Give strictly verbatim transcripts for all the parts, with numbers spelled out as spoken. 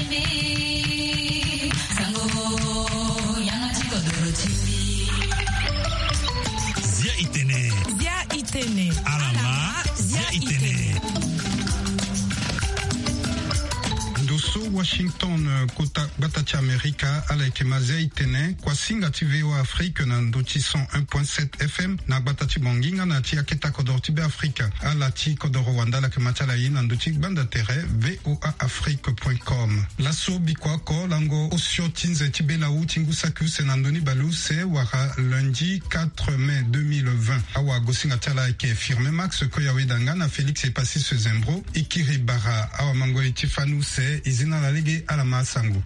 Zia itene. Zia itene. Alama. Zia itene. Ndo so Washington, kota gbata ti Amerika, ala yeke ma Zia itene, kuasinga ti V O A Afrique na ndo ti cent un point sept F M na gbata ti Bangui nga na ti aketa kodoro ti Be Afrika. Ala ti kodoro wande ala yeke ma ti ala ye na ndo ti gbanda tere V O A Afrique point com. Laso bikua oko lango osio ti nze ti belawu ti ngu saki use na ndoni baleuse wala lundi quatre mai deux mille vingt. Awagosinga ti ala ayeke Firmin Max Koyaweda nga na Félix Epasis Zembro. E kiri bara awamangoi ti fani use, e zi na ala lege ala ma asango.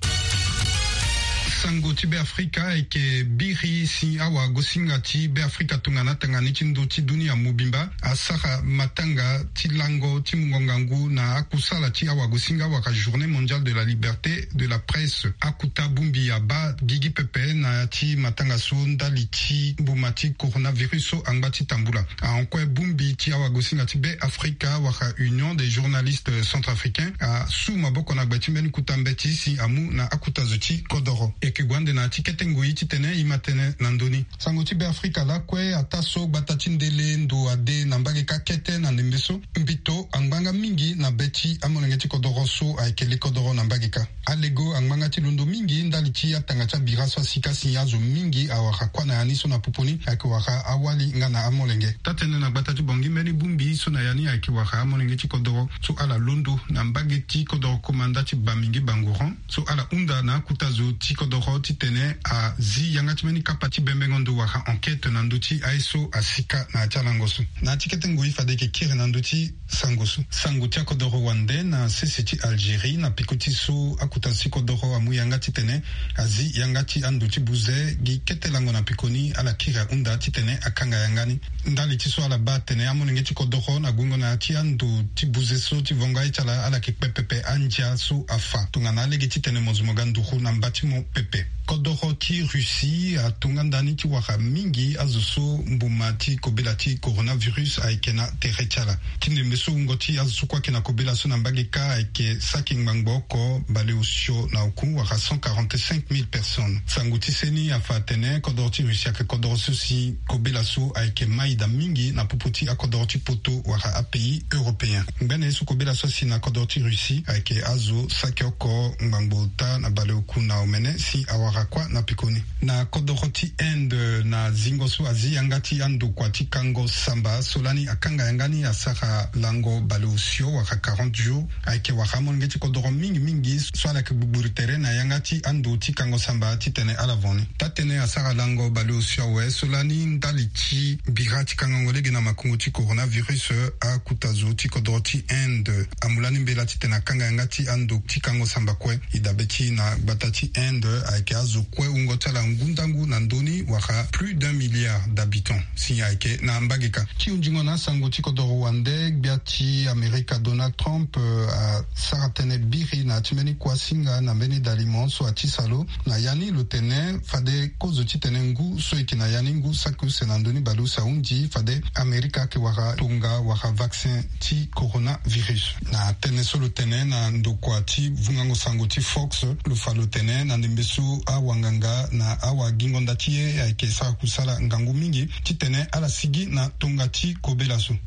Sango ti Be Afrika ayeke biri si awagosinga ti Be Afrika tongana tanga ni ti ndo ti dunia mobimba asara matanga ti lango ti mungo ngangu na akusala ti awagosinga wala Journée Mondiale de la Liberté de la Presse. Akuta bongbi abaa gigi pepe na ya ti matanga so ndali ti mbuma ti coronavirus so angba ti tambula. Ahon kue bongbi ti awagosinga ti Be Afrika wala Union des journalistes centrafricains asu maboko na gbe ti mbeni kuta mbeti si amu na akuta zo ti kodoro. E yeke gue ande na ya ti kete ngoi titene e ma tene na ndoni. Sango ti Be Afrika lakue ataa so gbata ti ndele ndo ade na mbage kâ kete na ndembe so mbito angba nga mingi na be ti amolenge ti kodoro so ayeke li kodoro na mbage kâ. Alego angba nga ti londo mingi ndali ti atanga ti abira so asika si azo mingi awara kuâ na ya ni so na popo ni ayeke wara awali nga na amolenge. Taa-tënë na gbata ti Bangui mbeni bongbi so na ya ni ayeke wara amolenge ti kodoro so ala londo na mbage ti kodoro komanda ti Bamingi Bangoran. So ala hunda na akuta zo ti kodoro titene azi yanga ti mbeni kapa ti bembengo ndo wala enquête na ndö ti aye so asika na ya ti alango so. Na ya ti kete ngoi fade e yeke kiri na ndö ti sango so. Sango ti akodoro wande na sese ti Algérie na peko ti so akuta zo ti kodoro amu yanga titene azi yanga ti ando ti buze gi kete lango na pekoni ala kiri ahunda titene akanga yanga ni. Ndali ti so ala baa atene amolenge ti kodoro na gungo na ya ti ando ti buze so ti vongo aye ti ala ala yeke kpe pepe andia so afa tongana alege titene mo zo mo ga nduru na mba ti mo pepe. Kodoro ti Russie atonga ndani ti wara mingi azo so mbuma ti kobela ti coronavirus ayeke na tere ti ala. Ti ndembe so wungo ti azo so kue ayeke na kobela so na mbage kâ ayeke saki ngbangbo oko baleosio na oku wala cent quarante-cinq mille personnes. Sango ti seni afa atene kodoro ti Russie ayeke kodoro so si kobela so ayeke mai daa mingi na popo ti akodoro ti poto wala apays européen. Ngbene ye so kobela so asi na kodoro ti Russie ayeke azo saki oko ngbangbo ota na baleoku na omene si awara kuâ na pekoni. Na kodoro ti Inde na zingo so azi yanga ti andokua ti kango samba so lani akanga yanga ni asara lango baleosio wala quarante jours. Ayeke wara amolenge ti kodoro mingi mingi so ala yeke gbugburu tere na yanga ti ando ti kango samba titene ala vo ni. Taa-tënë asara lango baleosio awe so lani ndali ti bira ti kangango lege na makongo ti coronavirus, akuta zo ti kodoro ti Inde amu lani mbela titene akanga yanga ti ando ti kango samba kue. E dabe ti na gbata ti Inde ayeke azo kue wungo ti ala ngu ndangu na ndö ni wala plus d'un milliard d'habitants si ayeke na mbage kâ. Ti hunzingo na asango ti kodoro wande, gbia ti Amerika Donald Trump, eh, asara tënë biri na ya ti mbeni kuasinga na mbeni dalimo so ati sa lo. Na ya ni lo tene fade kozo titene ngu so e yeke na ya ni ngu saki use na ndö ni baleuse ahunzi fade Amerika ayeke wara tonga wala vaccin ti coronavirus. Na tënë so lo tene na ndokua ti vungango sango ti Fox, lo fa lo tene na ndembe so awanganga na awagingo nda ti ye ayeke sara kusala ngangu mingi titene ala sigi na tonga ti kobela so.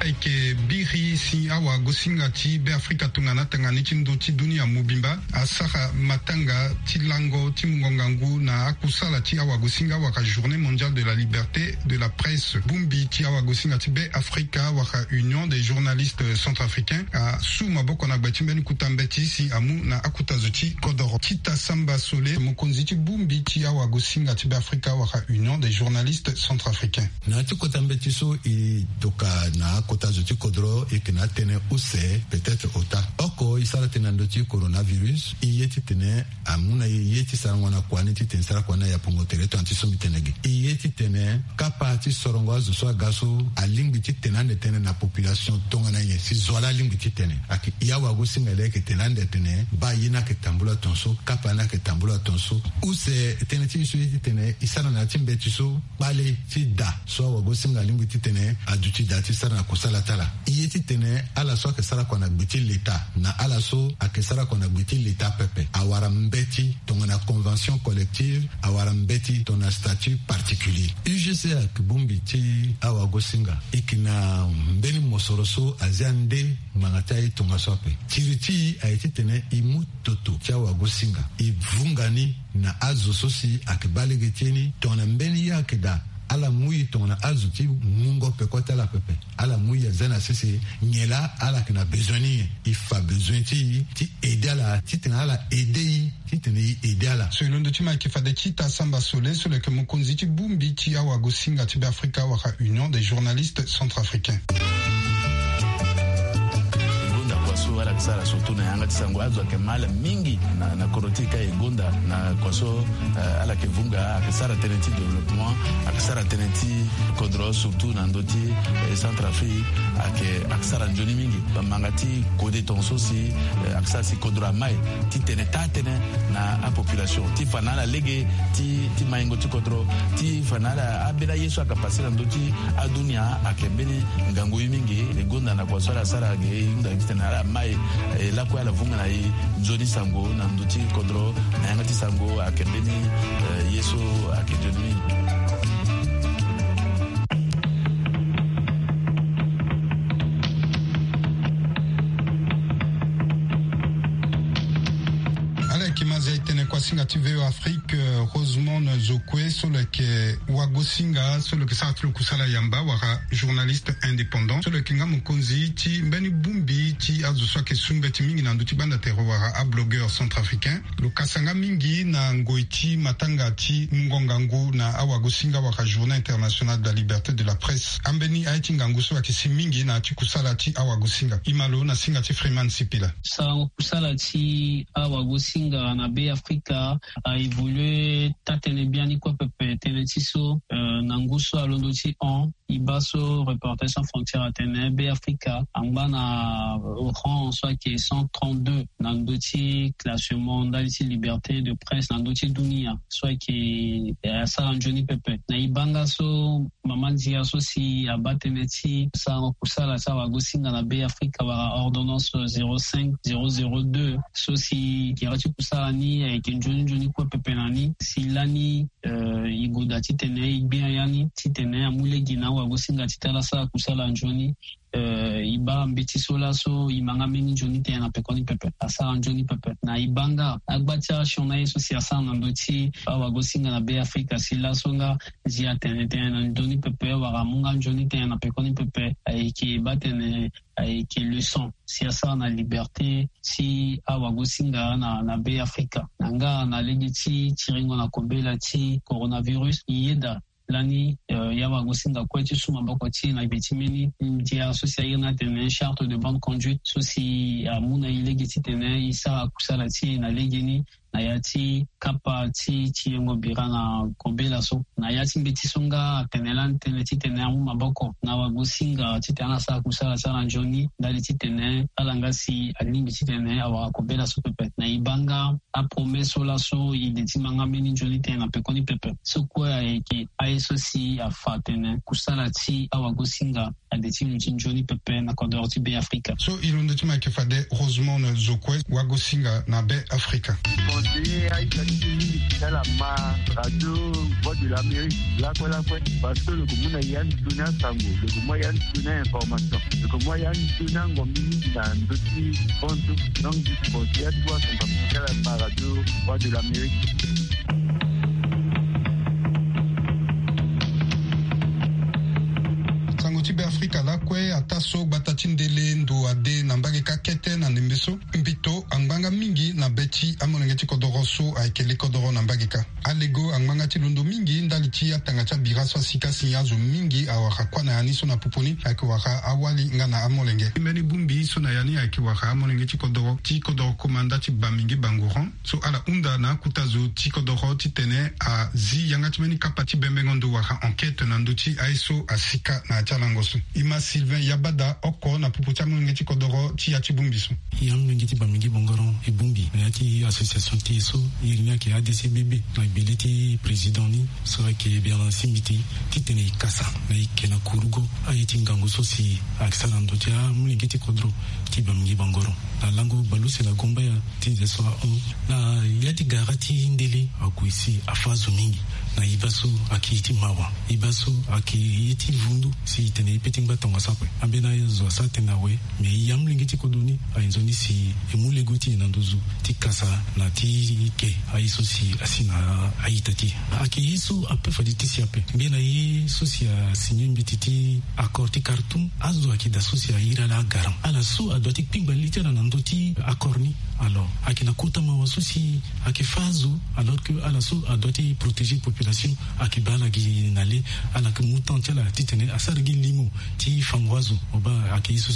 Ayeke biri si awagosinga ti Be Afrika tongana tanga ni ti ndo ti dunia mobimba asara matanga ti lango ti mungo ngangu na akusala ti awagosinga wala Journée Mondiale de la Liberté de la Presse. Bongbi ti awagosinga ti Be Afrika wala Union des journalistes centrafricains asu maboko na gbe ti mbeni kuta mbeti si amu na akuta zo ti kodoro. Tita Samba Sole, mokonzi ti bongbi ti awagosinga ti Be Afrika wala Union des journalistes centrafricains. Na ya ti kota mbeti so e toka na akota zo ti kodro, e yeke na atënë use, peut-être ota oko. E sara tënë na ndö ti coronavirus, e ye titene amu na e ye ti sarango na kua ni titene e sara kua ni na yapongo tere tongana ti so mbi tene ge. E ye titene kapa ti sorongo azo so aga so alingbi titene ande tënë na population tongana nyen si zo wala alingbi titene. Ayeke e awagosinga laa ayeke tene ande atene baa ye ni ayeke tambula tongaso, kapa ni ayeke tambula tongaso. Use tënë ti e so ye titene e sara na ya ti mbeti so kpale ti da so awagosinga alingbi titene aduti da ti sara na kusala ti ala. E ye titene ala so ayeke sara kua na gbe ti leta na ala so ayeke sara kua na gbe ti leta pepe awara mbeti tongana convention collective, awara mbeti tongana statut particulier. U G C ayeke bongbi ti awagosinga. E yeke na mbeni mosoro so azia nde ngbanga ti aye tongaso ape. Tiri ti e aye titene e mu toto ti awagosinga, e vunga ni na azo so si ayeke baa lege ti e ni tongana mbeni ye ayeke daa, ala mu e tongana azo ti mungo peko ti ala pepe. Ala mu e azia na sese nyen laa ala yeke na bezoin ni nyen. E fa bezoin ti e ti ede ala titene ala ede e titene e ede ala. So e londo ti ma ayeke fade ti ita Samba Sole so lo yeke mokonzi ti bongbi ti awagosinga ti Beafrika wala Union des journalistes centrafricains. E gonda kua so ala yeke sara surtout na yanga ti sango, azo ayeke ma ala mingi na, na kodro ti e ka. E gonda na kua so, eh, ala yeke vunga, ayeke sara tënë ti développement, ayeke sara tënë ti kodro surtout na ndö ti, eh, Centrafrique, ayeke, ayeke sara nzoni mingi. Bamanga ti kode tongaso si, eh, ayeke sara si kodro amai titene taa tënë na apopulation ti fa na ala lege ti, ti maingo ti kodro, ti fa na ala ambeni aye so ayeke pase na ndö ti adunia ayeke mbeni ngangu ye mingi. E gonda na kua so ala sara ge, e hunda titene ala mai, eh, lakue ala vunga na e nzoni sango na ndö ti kodro na yanga ti sango ayeke mbeni, eh, ye so ayeke nzoni mingi. Ala yeke ma zia e tene kuasinga ti V O Afrique, eh, Rosemond Zokwe so lo yeke wagosinga so lo yeke sara ti lo kusala yamba wala journaliste indépendant so lo yeke nga mokonzi ti mbeni bongbi ti azo so ayeke su mbeti mingi na ndö ti banda tere wala ablogueur centrafricain. Lo kasa nga mingi na ngoi ti matanga ti mungo ngangu na awagosinga wala Journée internationale de la liberté de la presse. Ambeni aye ti ngangu so ayeke si mingi na ya ti kusala ti awagosinga. E ma lo na singa ti Freeman Sipila. Sarango kusala ti awagosinga na Beafrika a évolué taa-tënë biani kue pepe. Tënë ti so, eh, na ngu so alondo ti hon, e baa so Reporters sans frontières atene Beafrika angba na rang so ayeke cent trente-deux na ndö ti classement ndali ti liberté de presse na ndö ti dunia so ayeke, eh, asara nzoni pepe. Na e baa nga so mama ndia so si abaa tënë ti sarango kusala ti awagosinga na Beafrika wala ordonnance zéro cinq zéro zéro deux so si gira ti kusala ni ayeke nzoni nzoni kue pepe na ni si lani, eh, e goda titene e gbia ya ni titene amu lege na awagosinga titene ala sara kusala nzoni. Eh, e baa mbeti so laso e ma nga mbeni nzoni tënë na pekoni pepe, asara nzoni pepe. Na e baa nga agba ti asioni aye so si asara na ndö ti awagosinga na Beafrika si laso nga ndia tene tënë na ndö ni pepe wala amu nga nzoni tënë na pekoni pepe, ayeke baa tene ayeke leçon si asara na liberté ti awagosinga na, na Beafrika. Na nga na lege ti tiringo na kobela ti coronavirus, e yeda lani, eh, e awagosinga kue ti su maboko ti e na gbe ti mbeni ndia so si a iri ni atene charte de bonne conduite so si amu na e lege titene e sara kusala ti e na legeni na ya ti kapa ti, ti yengo bira na kobela so. Na ya ti mbeti so nga atene lani tënë titene amu maboko na awagosinga titene ala sara kusala ti ala nzoni ndali titene ala nga si alingbi titene awara kobela so pepe. Na e baa nga apromesse so laso e de ti ma nga mbeni nzoni tënë na pekoni pepe. So kue ayeke aye so si afa atene kusala ti awagosinga ade ti lo ti nzoni pepe na kodoro ti Beafrika. So e londo ti ma ayeke fade Rosemond Zokwe, wagosinga na Beafrika. Conseiller aita ti mingi ti ala ma Radio Voix de l'Amérique lakue lakue, parce que lo yeke mu na ya nzoni asango, lo yeke mu ya nzoni a-information, lo yeke mu ya nzoni angombi mingi na ndö ti konso. Donc conseiller atuwa sango ti ala ma Radio Voix de l'Amérique. Sango ti Beafrika lakue ataa so gbata ti ndele ndo ade na mbage ka kete na ndembe so mbito angba Nga mingi na be ti amolenge ti kodoro so ayeke le kodoro na mbage kâ. Alego angba nga ti londo mingi ndali ti atanga ti abira so asika si azo mingi awara kuâ na ya ni so na popo ni ayeke wara awali nga na amolenge. Ti mbeni bongbi so na ya ni ayeke wara amolenge ti kodoro ti kodoro komanda ti Bamingi Bangoron so ala hunda na akota zo ti kodoro titene azi yanga ti mbeni kapa ti bembengo ndo wala enquête na ndö ti aye so asika na ya ti alango so. E ma Sylvain Yabada oko na popo ti amolenge ti kodoro ti ya ti bongbi so. E amolenge ti Bamingi Bangoron e bongbi na ya ti association ti e so, iri ni ayeke A D C B B, na gbele ti président ni so ayeke Bernard Simbiti, titene e kasa na e ke na kurugo aye ti ngangu so si ayeke sara na ndö ti amolenge ti kodro ti Bamingi Bangoron. Na lango baleuse na gombaya ti nze so ahon na ya ti gara ti ndele ague si afâ azo mingi. Na e baa so ayeke ye ti mawa, e baa so ayeke ye ti vundu si e tene e pe ti ngba tongaso ape. Ambeni azo asara tënë awe. Me e amolenge ti kodro ni aye nzoni si e mu lego ti e na nduzu ti kasa na ti ke aye so si asi na a-ita ti e. Ayeke ye so ape fade ti si ape. Ngbene ye so si asigné mbeti ti accord ti Khartoum, azo ayeke daa so si a iri ala agarant, ala so adoit ti kpingba li ti ala na ndö ti accord ni. Alors ayeke na kota mawa so si ayeke fâ azo, alors que ala so adoit ti protéger population ayeke baa ala gi na le. Ala yeke mu temps ti ala titene asara gi limo ti fango azo. Mo baa ayeke ye so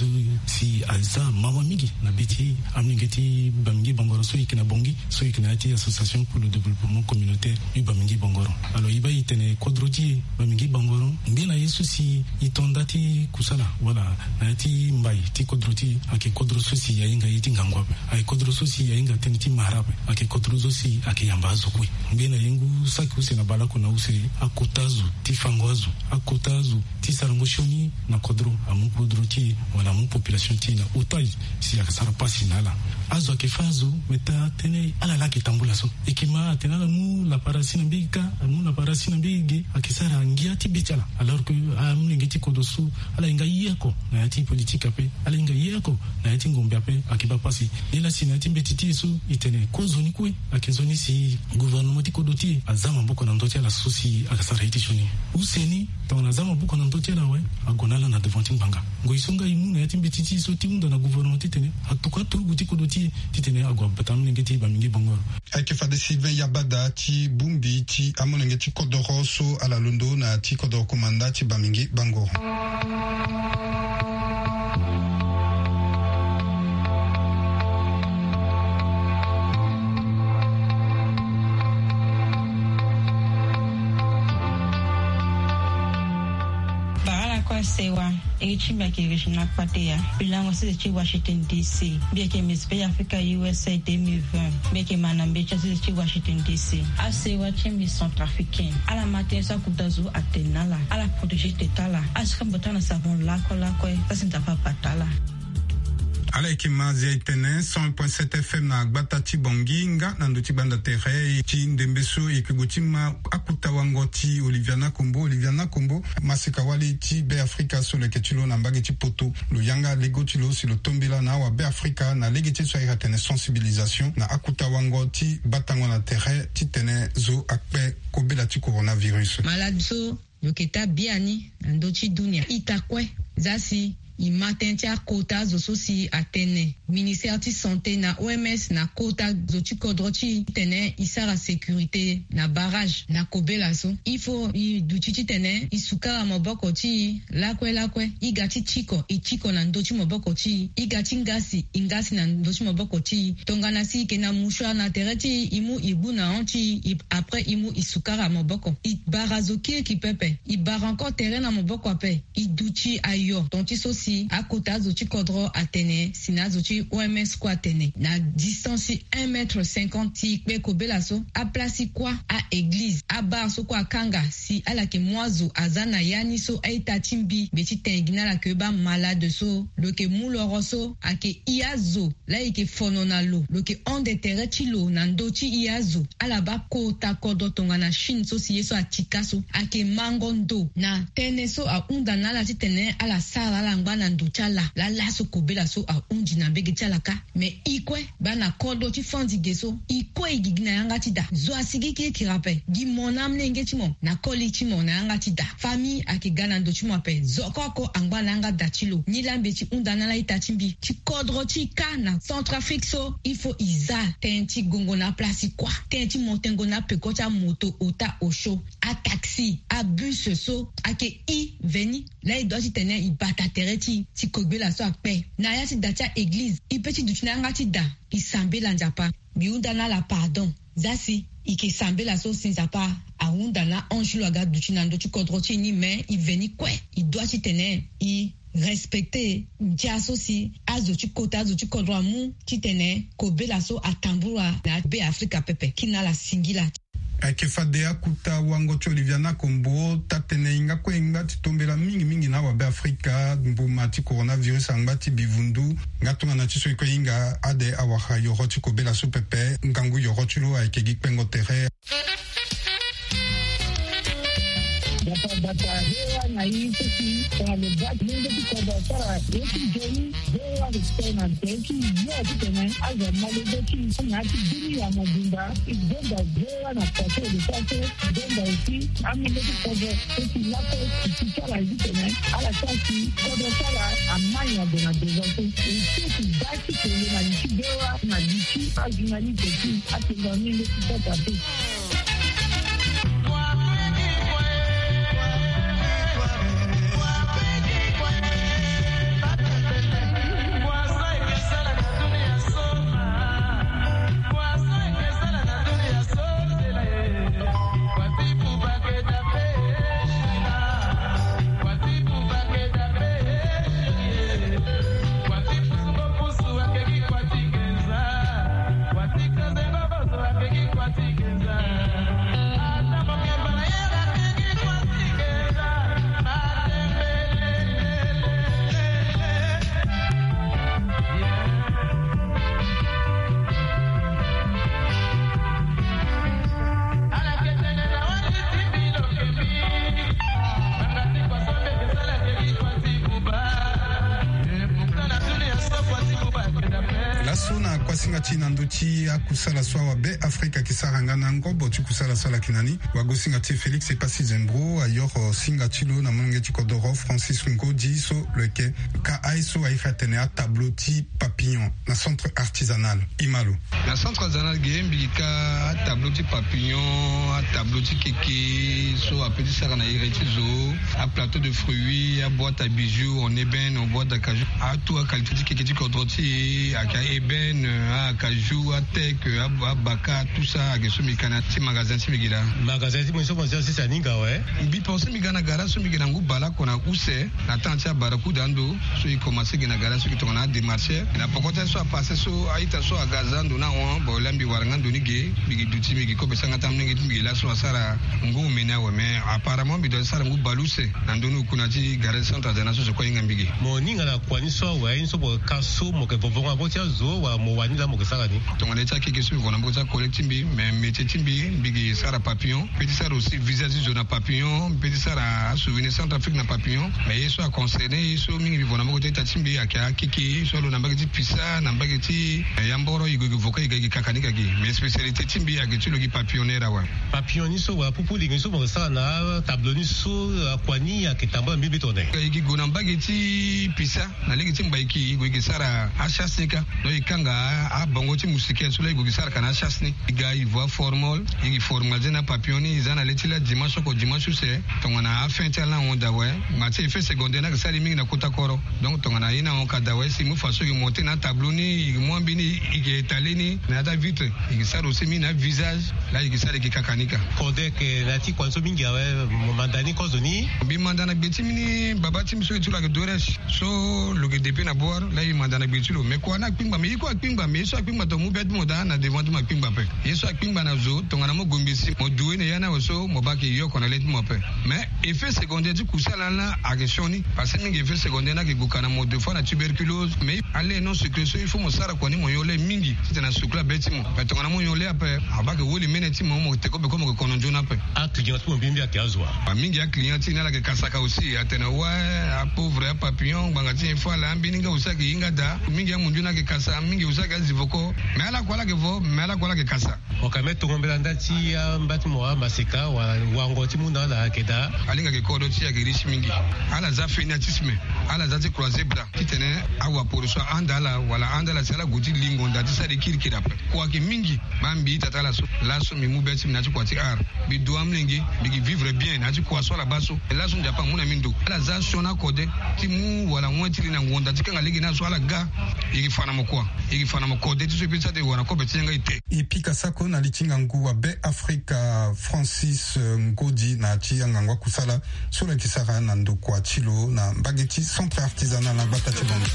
si aza mawa mingi na be ti amolenge ti Bamingi Bangoron so e yeke na Bangui, so e yeke na ya ti association pour le développement communautaire du Bamingi Bangoron. Alors e baa e tene kodro ti e Bamingi Bangoron ngbene ye so si e to nda ti kusala wala na ya ti mbai ti kodro ti e, ayeke kodro so si ahinga ye ti ngangu ape. Ayeke kodro so si ahinga tënë ti mara ape. Ayeke kodro so si ayeke yamba azo kue. Ngbene ye ngu saki use na baleoko na use, akota azo ti fango azo, akota azo ti sarango sioni na kodro, amu kodro ti e wala amu population ti e na otage si ayeke sara pasi na ala. Azo ayeke fâ azo, me taa tënë ala laa ayeke tambula so. E yeke ma atene ala mu lapara si na mbege kâ, amu lapara si na mbege ge, ayeke sara ngia ti be ti ala. Alors que amolenge ti kodro so ala hinga ye oko na ya ti politique ape, ala hinga ye oko na ya ti ngombe ape, ayeke baa pasi. Nilaa si na ya ti mbeti ti e so e tene kozo ni kue, ayeke nzoni si gouvernement ti kodro ti e aza maboko na ndö ti ala so si ayeke sara ye ti sioni. Use ni tongana aza maboko na ndö ti ala awe, ague na ala na devant ti ngbanga. Ngoi so nga e mu na ya ti mbeti ti e so ti hunda na gouvernement titene atokua aturugu ti kodro ti e titene ague abata amolenge ti Bamingi Bangoron. Ayeke fade Sylvain Yabada ti bongbi ti amolenge ti kodoro so ala londo na ya ti kodoro komanda ti Bamingi Bangoron. Bara ala kue sewa. E ti mbi ayeke Regina Kpateya. Mbi lango sese ti Washington D C. Mbi yeke mbi spe ya Afrika U S A deux mille vingt. Mbi yeke ma na mbeti ya sese ti Washington D C. Asewa ti mbi centrafricain, ala ma tënë so akota zo atene na ala, ala protéger tete ala. Asika mbi bata na savon lakue lakue, za si Nzapa abata ala. Ala yeke ma Zia Etene cent un point sept F M na gbata ti Bangui nga na ndö ti gbanda tere ti ndembe so e yeke gue ti ma akota wango ti Olivia Nakombo. Olivia Nakombo, masika wali ti Be Afrika so lo yeke ti lo na mbage ti poto. Lo yanga lego ti lo si lo tombela na awa Be Afrika na lege ti so ayeke atene sensibilisation na akota wango ti batango na tere titene zo akpe kobela ti coronavirus. Malade so lo yeke taa biani na ndö ti dunia ita kue. Za si e ma tënë ti akota zo so si atene ministère ti santé na O M S na kota zo ti kodro ti e titene e sara sécurité na barrage na kobela so. Il faut e duti titene e sukara maboko ti e lakue lakue. E ga ti tiko, e tiko na ndö ti maboko ti e. E ga ti ngasi, e ngasi na ndö ti maboko ti e. Tongana si e yeke na mouchoir na tere ti e, e mu e gbu na hon ti e, e, après e mu e sukara maboko. E bara zo kirikiri pepe. E bara encore tere na maboko ape. E duti ayo tonga ti so si akota azo ti kodro atene si na azo ti O M S kue atene na distance ti un mètre cinquante ti e kpe kobela so. Aplace ti kuâ, a-église, abar so kue akanga si ala yeke mu azo aza na ya ni so a-ita ti mbi mbi ti tene gi na ala ke baa malade so lo yeke mu loro so ayeke i azo. Laa e yeke fono na lo, lo yeke hon de tere ti lo na ndö ti e azo. Ala baa kota kodro tongana Chine so si ye so atika so ayeke mango ndo na tënë so ahunda na ala titene ala sara ala ngba Na ndo ti ala laa laso kobela so ahunzi na mbege ti ala kâ. Me e kue baa na kodro ti fandi ge so, e kue e gigi na yanga ti da. Zo asigi kirikiri ape. Gi mo na amolenge ti mo na koli ti mo na yanga ti da. Famille ayeke ga na ndo ti mo ape. Zo oko oko angba na yanga da ti lo. Nilaa mbi ye ti hunda na ala ita ti mbi ti kodro ti e kâ na Centrafrique so, il faut e za tënë ti gongo na aplace ti kua, tënë ti mo tengo na apeko ti amoto, ota, osio, ataxi, abus so ayeke e veni. Laa e dua titene e bata tere ti e ti kobela so akpe na ya ti da ti a-eglize. E pe ti duti na yanga ti da, e sambela Nzapa. Mbi hunda na ala pardon. Za si e yeke sambela so si Nzapa ahunda na ange ti lo aga duti na ndö ti kodro ti e ni, me e veni kue. E dua titene e respecte ndia so si azo ti kota, azo ti kodro amu titene kobela so atambula na Be Afrika pepe. Kina ala singila. Ayeke fade akuta wango ti Oliviana Kombo, taa-tënë hinga kue e ngba ti tombela mingi mingi na awabe Afrika, mbuma ti coronavirus angba ti bivundu. Nga tongana ti so e kue hinga ade awara yoro ti kobela so pepe, ngangu yoro ti lo ayeke gi kpengo tere. Bata bata hewa na ye so si tongana lo baa ti lenge ti kodro asara ye ti nzoni. Bewa respect na nze ti yo titene azo amalenge ti na ya ti bini ya mobimba. E donda bewa na faso de faso. Donda aussi amolenge ti kodro so si lakue e ti ti ala titene ala sara si kodro ti ala amai na ndo na besoin so. E so ti baa ti kele na li ti bewa na li ti ajournaliste ti atenga amolenge ti sata te. Laso na kuasinga ti na ndö ti akusala so awabe Afrika ayeke sara nga na ngobo ti kusala so ala yeke na ni. Wagosinga ti e Félix Epassi Zembro ayoro singa ti lo na molenge ti kodoro Francis Ngodi so lo yeke ka aye so airi atene atableau ti papillon na centre artisanal. E ma lo. Na centre artisanal ge mbi yeke ka atableau ti papillon, atableau ti keke so ape ti sara na iri ti zo, aplateau de fruits, aboîte à bijoux en ébène, en boîte d'acajou. Atout aqualité ti keke ti kodro ti e ayeke a-ébène, acajou, ateke, abaka, tout ça ayeke so mbi ka na ti magasin ti mbi gi laa. Magasin ti mo so mo zi asisa ni nga awe. Mbi pense mbi ga na gara so mbi gi na ngu baleoko na use. Na temps ti abarakuda ando so e commence gi na gara so e tongana adémarcheur. Na poko ti aye so apasse so a-ita so aga aza ando na ahon, bon laa mbi wara nga ndo ni ge, mbi gi duti mbi gi kobe sanga ti amolenge ti mbi gi laso asara ngu omeni awe. Mais apparemment mbi doit ti sara ngu baleuse na ndö ni oku na ti gara ti centre artisanal so so kue ahinga mbi ge. Mo hinga na kua ni so awe, aye ni so mo yeke ka so mo yeke vovo nga na mboko ti azo wala mo wani laa mo yeke sara ni? Tongana ye ti akeke so mbi vo na mboko ti acollègue ti mbi, mais métier ti mbi, mbi gi sara papillon. Mbi pe ti sara aussi visage ti zo na papillon, mbi pe ti sara asouvenir Centrafrique na papillon. Mais ye so aconcerné ye so mingi mbi vo na mbage ti ita ti mbi ayeke akeke ye so alo na mbage ti pisa, na mbage ti, eh, yamboro, e gue e gue voka e ga e gi kaka ni ka gi. Mais spécialité ti mbi ayeke ti lo gi papillonneur awe. Papillon ni so wala pupu lingi ni so mo yeke sara na tableau ni so, akua ni ayeke tambula mbi mbi tongana? E gi gue na mbage ti pisa. Na lege ti mbaiki e gue e gi sara achasse ni kâ. Donc e kanga abongo ti moustiquaire so laa e gue e gi sara ka na achasse ni. E ga e vo aformol, e gi formaliser na papillon ni, e za na le ti laa dimanche oko dimanche use. Tongana afin ti ala na ahon daa awe. Ma ti effet secondaire ni ayeke sara e mingi na kota koro. Donc tongana ye na ahon ka daa awe si e mu façon e gi monter na atableau ni, e gi mu ambeni, e gi étaler ni na ya ti avitre. E gi sara aussi mingi na avisage. Laa e gi sara e gi kaka ni kâ. Kodek, eh, na ya ti kua ni so mingi awe, mo manda ni kozoni? Mbi manda na gbe ti mbi ni, baba ti mbi so e ti lo ayeke Doresh. So lo yeke depuis na Bouar, laa e manda na gbe ti lo. Mais kua ni akpingba, mais e kue akpingba. Mais ye so akpingba tongana mo mu be ti mo daa na devant ti mo akpingba ape. Ye so akpingba na zo tongana mo gue mbeti mo due na ya ni awe so mo baa ayeke yoko na le ti mo ape. Mais effet secondaire ti kusala ni la ayeke sioni. Parce que mingi effet secondaire ni ayeke gue ka na mo, des fois na tuberculose. Mais ale non secret so il faut mo sara kua ni mo nyon le mingi titene asukula be ti mo. Mais tongana mo nyon le ape, abaa ayeke woli mene ti mo, mo teke beko mo yeke kono nzoni ape. Aclient ti mo mbi mbi ayeke azo wa? Mingi aclient ti ni ala yeke kasaka aussi, atene ouais, apauvre, apapillon, ngbanga ti nyen fo ala, ambeni nga aussi ayeke hinga daa. Mingi amundu ni ayeke kasa, mingi aussi ayeke azi voko. Mais ala kue ala yeke vo, mais ala kue ala yeke kasa. Mo ka me tongo mbela nda ti amba ti mo amaseka wala wango ti mu na ala ayeke daa? Alingbi ayeke kodro ti e ayeke riche mingi. Ala za fanatisme, ala za ti croiser bras titene awaporo so ahanda ala wala ahanda ala si ala gue ti lingo nda ti sara e kirikiri ape. Kua ayeke mingi. Baa mbi ita ti ala so, laso mbi mu be ti mbi na ya ti kua ti art. Mbi dua amolenge, mbi yeke vivre bien na ya ti kua so ala baa so. Laso Nzapa amu na mbi ndo. Ala za sioni akode ti mu wala wen ti li na ngonda ti kanga lege ni aso ala ga. E yeke fa na mo kua? E yeke fa na mo kode ti so e peut ti sara ti wara na kobe ti yanga ete. E pika sako na li ti ngangu wa Be Afrika Francis, eh, Ngodi na ya ti angangu akusala so lo yeke sara na ndokua ti lo na mbage ti Centre Artisanal na gbata ti Bangui.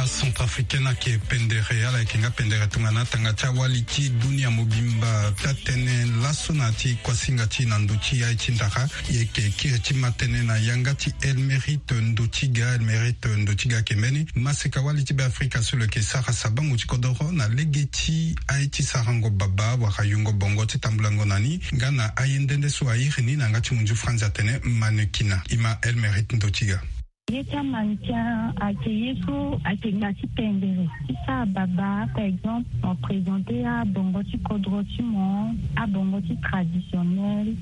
Acentrafricain ayeke pendere, ala yeke nga pendere tongana atanga ti awali ti dunia mobimba. Taa-tënë laso na ya ti kuasinga ti e na ndö ti aye ti ndara, e yeke kiri ti ma tënë na yanga ti Elmérite Ndotiga. Elmérite Ndotiga ayeke mbeni maseka wali ti Be Afrika so lo yeke sara sabango ti kodoro na lege ti aye ti sarango baba wala yungo bongo ti tambulango na ni nga na aye nde nde so a iri ni na yanga ti munzu franzi atene mannequinat. E ma Elmérite Ndotiga. Ye ti amannequin ayeke ye so ayeke nga ti pendere ti sara baba, par exemple, mo présenter abongo ti kodro ti mo, abongo ti traditionnel.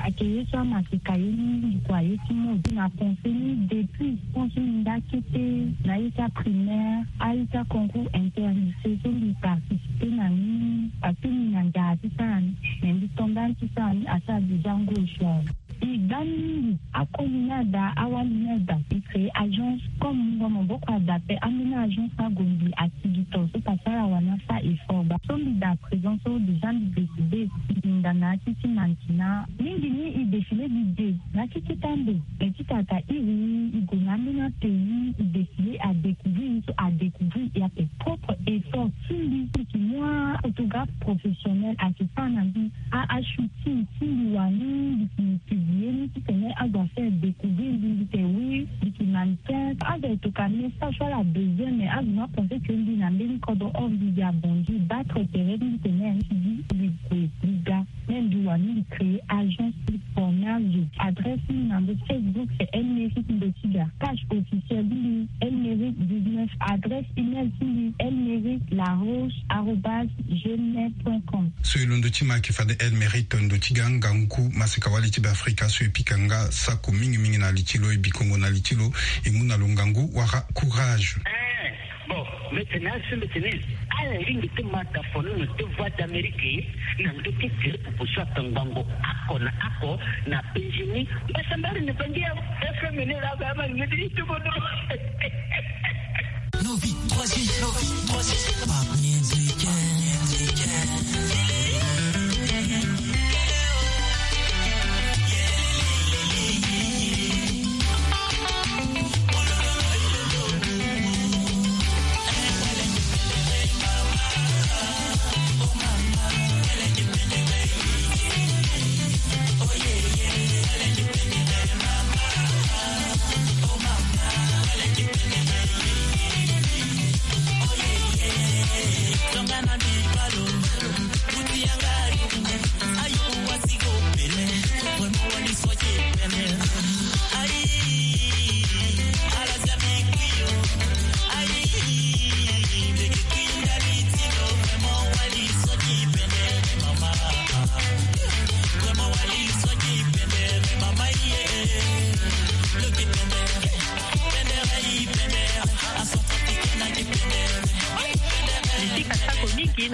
Ayeke ye so amaseka ye mingi kua, ye ti mode. Na pensé ni depuis, pense ni nda kete na ye ti aprimaire, aye ti aconcours interlycée so mbi participer na ni, parce que mbi na nzara ti sara ni, mais mbi to ndani ti sara ni asara déjà ngoi so awe. E gba ni mingi, akoli ni ada, awali ni ada. E créer agence comme mo boko ada pe, ambeni agence ni ague mbi asigi to so pasara wani asara effort baa. So mbi da présent so déjà mbi décidé mbi nda na ya ti ti mannequinat. Mingi ni e défilé mbi de na ya ti ti tambe. Mais ti tata iri ni e gue na ambeni apays, e décidé a découvrir ni so a découvrir e ape. Propre effort ti mbi, mbi yeke mu aphotographe professionnel ayeke sara na mbi a, ashooting ti mbi wani, mbi yeke publié ni titene azo afaire découvrir mbi, mbi tene oui, mbi yeke mannequin. Azo ayeke tokua message so ala besoin, mais azo ni apensé que mbi na mbeni kodro, or mbi yeke abongi battre tere ti mbi tene mbi ti di mbi gue mbi ga. Même mbi wani mbi créer agence ti formage. Adresse ti mbi na ndö ti Facebook c'est Elmérite Ndotiga. Page officielle ti mbi Elmérite dix-neuf. Adresse email ti mbi elmérite laroche arobase gmail point com. So e londo ti ma ayeke fade Elmérite Ndotiga, ngangu maseka wali ti Be Afrika so e pika nga sako mingi mingi na li ti lo, e bikongo na li ti lo, e mu na lo ngangu wala courage. Eh, bon, mbi tene aso mbi tene ala lingbi ti ma dafono na deux voix d'Amérique na ndö ti tere popo so atangbango oko na oko na Benjini. Mbasambari ni bangi ya F M ni la ba ma ngedi ti bodo. Novi, troisième, Novi, troisième.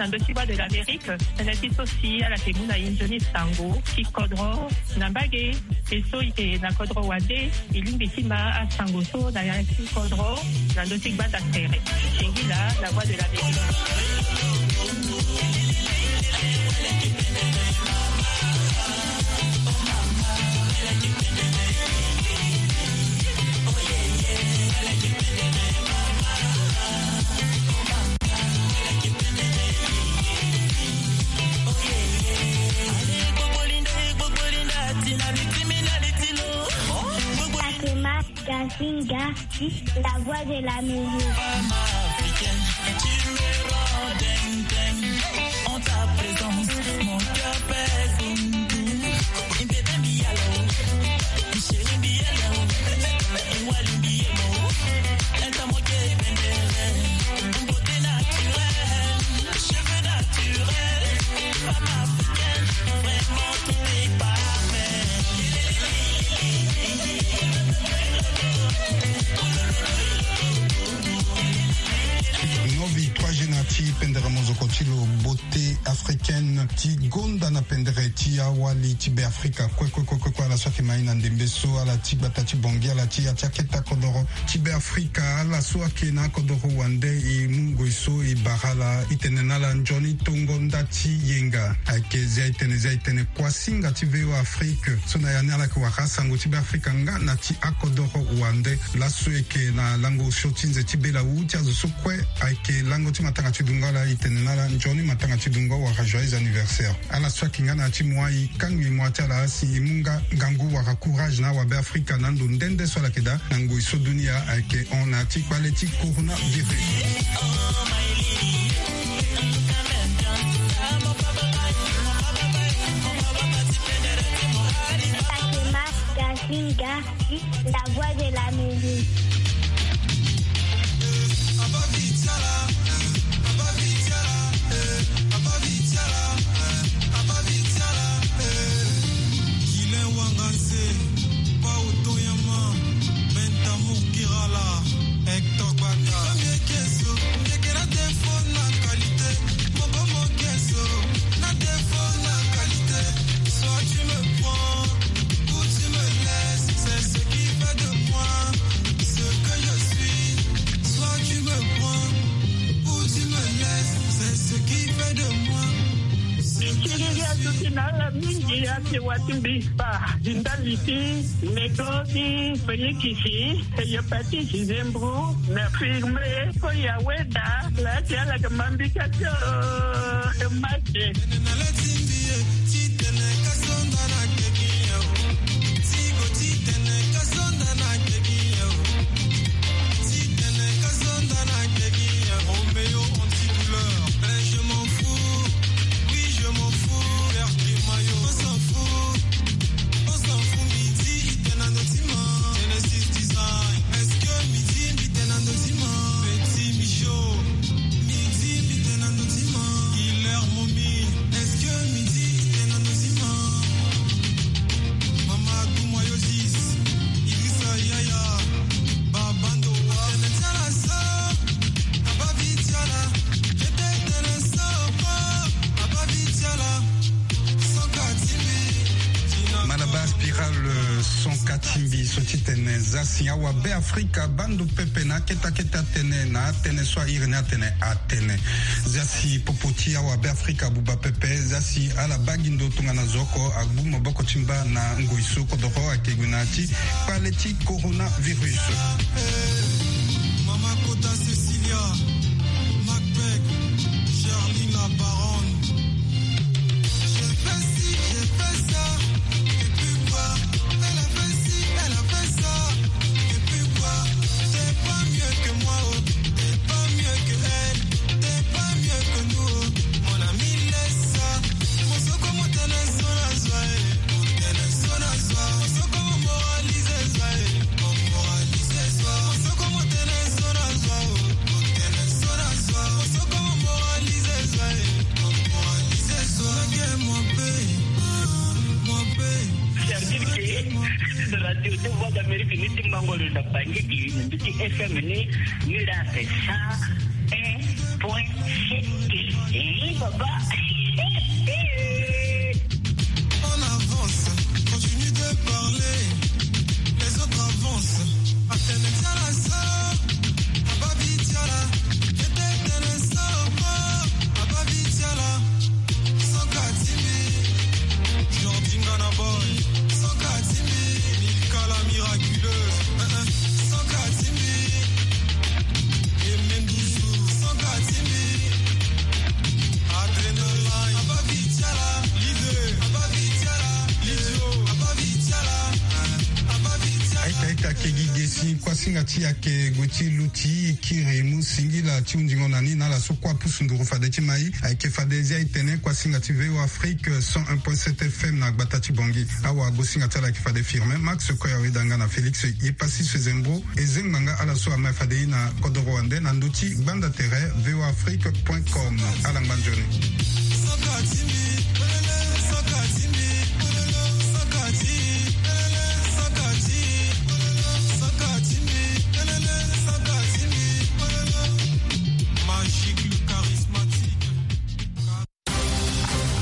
Na ndö ti Voix de l'Amérique, tënë ti so si ala yeke mu na e nzoni sango ti kodro na mbage. E so e yeke na kodro wande, e lingbi ti ma asango so na ya ti kodro na ndö ti gbanda tere. Singila, la Voix de l'Amérique. Fatima Gazinga, la Voix de l'Amérique. Novi trois G na ti pendere mozoko ti lo, beauté africaine, ti gonda na pendere ti awali ti Beafrika. Kue kue kue kue kue, ala so ayeke ma e na ndembe so, ala ti gbata ti Bangui, ala ti ya ti akete akodoro ti Beafrika. Ala so ayeke na akodoro wande, e mu ngoi so e bara ala, e tene na ala nzoni tongo nda ti yenga. Ayeke zia e tene, zia e tene, kuasinga ti V O A Afrique so na ya ni ala yeke wara asango ti Beafrika nga na ti akodoro wande. Laso e yeke na lango osio ti nze ti bela wu ti azo so kue ayeke lango ti matanga ti dungo, ala e tene na ala nzoni matanga ti dungo wala joyeux anniversaire. Ala so ayeke nga na ya ti moi, e kangbi moi ti ala asi, e mu nga ngangu wala courage na awabe Afrika na ando nde nde so ala yeke daa na ngoi so dunia ayeke hon na ya ti kpale ti coronavirus. Fatima Gazinga, la Voix de l'Amérique. Soit tu me prends ou tu me laisses, c'est ce qui fait de moi ce que je suis. Soit tu me prends ou tu me laisses, c'est ce qui fait de moi ce que je suis. Mingi ake wati mbi pa di ndali ti meko ti fenye kisi. Hépatite, Zembro, na firme, ko ya weda, la ti ala ke mambi ka tio, e mate. Roméo antidouleur, ben je m'en fous, oui je m'en fous, R K Mayo, on s'en fout, on s'en fout, midi, Genesis Design. Est-ce que midi, midi, Petit Michaud? Midi, midi, Killer Momi. Est-ce que midi, midi, Mama Doumoyosis? Idrissa Yaya. Babando wa. Malaba Spiral, euh, son katimbi so ti tene zasi awa Be Afrika bando pepe na akete akete atene na atene so airi ni atene atene. Zasi popo ti awa Be Afrika abuba pepe, zasi ala baa gi ndo tongana zo oko agbu maboko ti mba na ngoi so kodoro ayeke gue na ya ti kpale ti coronavirus. Mama Kota Cecilia, Macbeth, Charlie la baronne. J'ai fait ci, j'ai fait ça, et puis quoi? Elle a fait ci, elle a fait ça, et puis quoi? T'es pas mieux que moi, oh, t'es pas mieux que elle, t'es pas mieux que nous, oh. Mon ami, laisse ça. Mon soko, mon tene, son la joie, eh. C'est-à-dire que radio de Voix d'Amérique ni ti Mbangolo na Bangui, ni ti F M ni, ni la fait ça, un point sept. Papa. On avance, continue de parler. Les autres avancent. Atene tiala so, ababi tiala. Tete tene so, ababi tiala. Sans Katimi, Jordi Ngana Boy. Sans Katimi, Mikala miraculeux. Sans Katimi, et même Douzou. Sans Katimi, Adrenaline. Ababi tiala, Lize. Ababi tiala, Lidio. Ababi tiala, ababi tiala. Aita aita kegi gesi kuasinga ti yake gue ti luti kiri mu singila ti hundingo na ni na ala so kua pusu nduru fade ti mai. Ayeke fade zia e tene kuasinga ti V O Afrique cent un point sept F M na gbata ti Bangui. Awagosinga ti ala ayeke fade Firmin Max Koya Wedanga na Félix Yepasi Sezembo. E zengba nga ala so ama fade e na kodoro wande na ndö ti gbanda tere V O Afrique point com. Ala ngba nzoni.